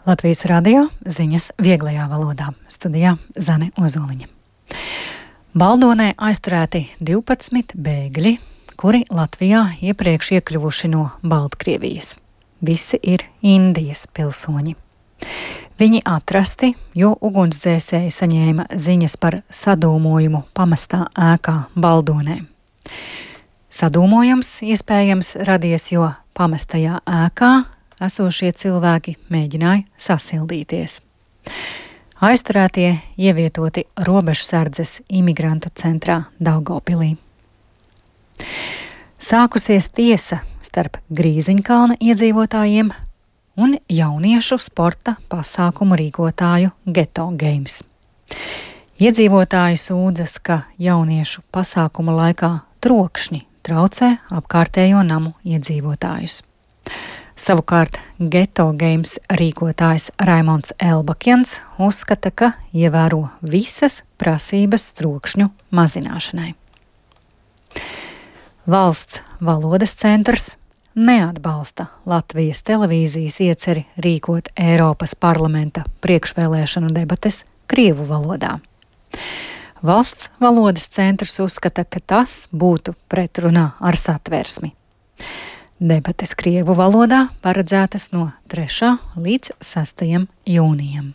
Latvijas radio ziņas vieglajā valodā. Studijā Zane Ozoliņa. Baldonē aizturēti 12 bēgļi, kuri Latvijā iepriekš iekļuvuši no Baltkrievijas. Visi ir Indijas pilsoņi. Viņi atrasti, jo ugunsdzēsēji saņēma ziņas par sadūmojumu pamestā ēkā Baldonē. Sadūmojums iespējams radies, jo pamestajā ēkā esošie cilvēki mēģināja sasildīties. Aizturētie ievietoti robežsardzes imigrantu centrā Daugavpilī. Sākusies tiesa starp Grīziņkalna iedzīvotājiem un jauniešu sporta pasākumu rīkotāju Geto Games. Iedzīvotāji sūdzas, ka jauniešu pasākuma laikā trokšņi traucē apkārtējo namu iedzīvotājus. Savukārt Geto Games rīkotājs Raimonds Elbakjans uzskata, ka ievēro visas prasības trokšņu mazināšanai. Valsts valodas centrs neatbalsta Latvijas televīzijas ieceri rīkot Eiropas parlamenta priekšvēlēšanu debates krievu valodā. Valsts valodas centrs uzskata, ka tas būtu pretrunā ar satversmi. Debates krievu valodā paredzētas no 3. līdz 6. jūnijam.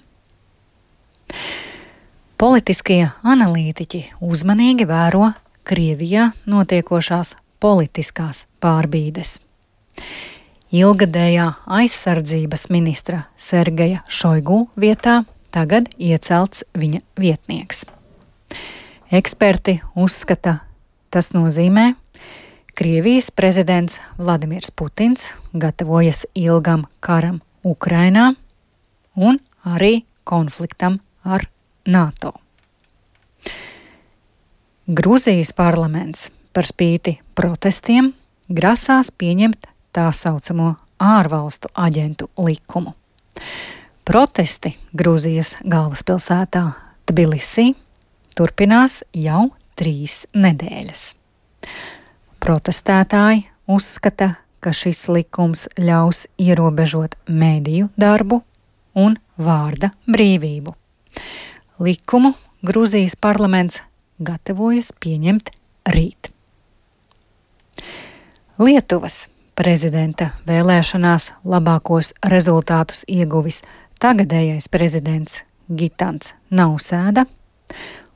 Politiskie analītiķi uzmanīgi vēro Krievijā notiekošās politiskās pārbīdes. Ilgadējā aizsardzības ministra Sergeja Šoigu vietā tagad iecelts viņa vietnieks. Eksperti uzskata, tas nozīmē, Krievijas prezidents Vladimirs Putins gatavojas ilgam karam Ukrainā un arī konfliktam ar NATO. Gruzijas parlaments par spīti protestiem grasās pieņemt tā saucamo ārvalstu aģentu likumu. Protesti Gruzijas galvaspilsētā Tbilisī turpinās jau 3 nedēļas. Protestētāji uzskata, ka šis likums ļaus ierobežot mediju darbu un vārda brīvību. Likumu Gruzijas parlaments gatavojas pieņemt rīt. Lietuvas prezidenta vēlēšanās labākos rezultātus ieguvis tagadējais prezidents Gitans Nausēda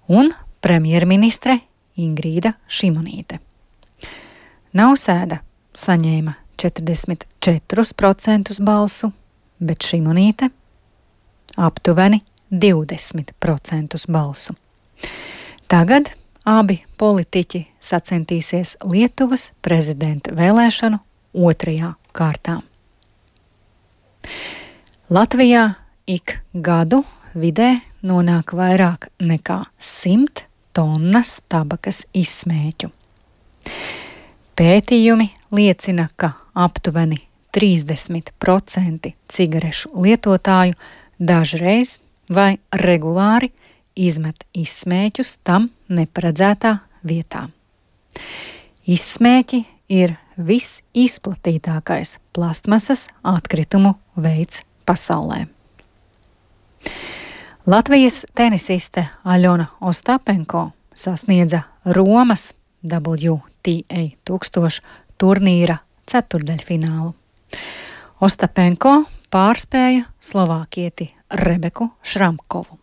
un premjerministre Ingrīda Šimonīte. Nausēda saņēma 44% balsu, bet Šimonīte aptuveni 20% balsu. Tagad abi politiķi sacentīsies Lietuvas prezidenta vēlēšanu 2. kārtā. Latvijā ik gadu vidē nonāk vairāk nekā 100 tonnas tabakas izsmēķu. Pētījumi liecina, ka aptuveni 30% cigarešu lietotāju dažreiz vai regulāri izmet izsmēķus tam neparedzētā vietā. Izsmēķi ir visizplatītākais plastmasas atkritumu veids pasaulē. Latvijas tenisiste Aļona Ostapenko sasniedza Romas WTA 1000 turnīra ceturdaļfinālu. Ostapenko pārspēja slovākieti Rebeku Šramkovu.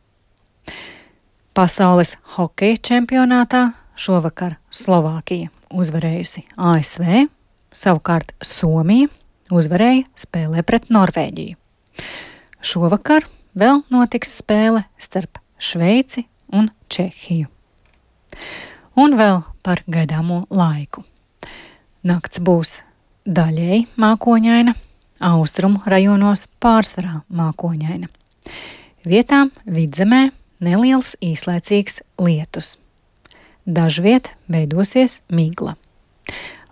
Pasaules hokeja čempionātā šovakar Slovākija uzvarējusi ASV, savukārt Somija uzvarēja spēlē pret Norvēģiju. Šovakar vēl notiks spēle starp Šveici un Čehiju. Un vēl par gaidāmo laiku. Nakts būs daļēji mākoņaina, austrumu rajonos pārsvarā mākoņaina. Vietām vidzemē neliels īslaicīgs lietus. Dažviet veidosies migla.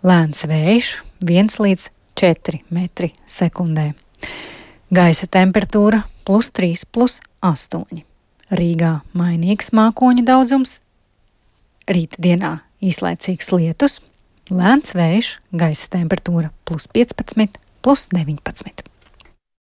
Lēns vējš 1 līdz 4 metri sekundē. Gaisa temperatūra +3, +8. Rīgā mainīgs mākoņu daudzums. Rītdienā īslaicīgs lietus, lēns vējš, gaisa temperatūra +15, +19.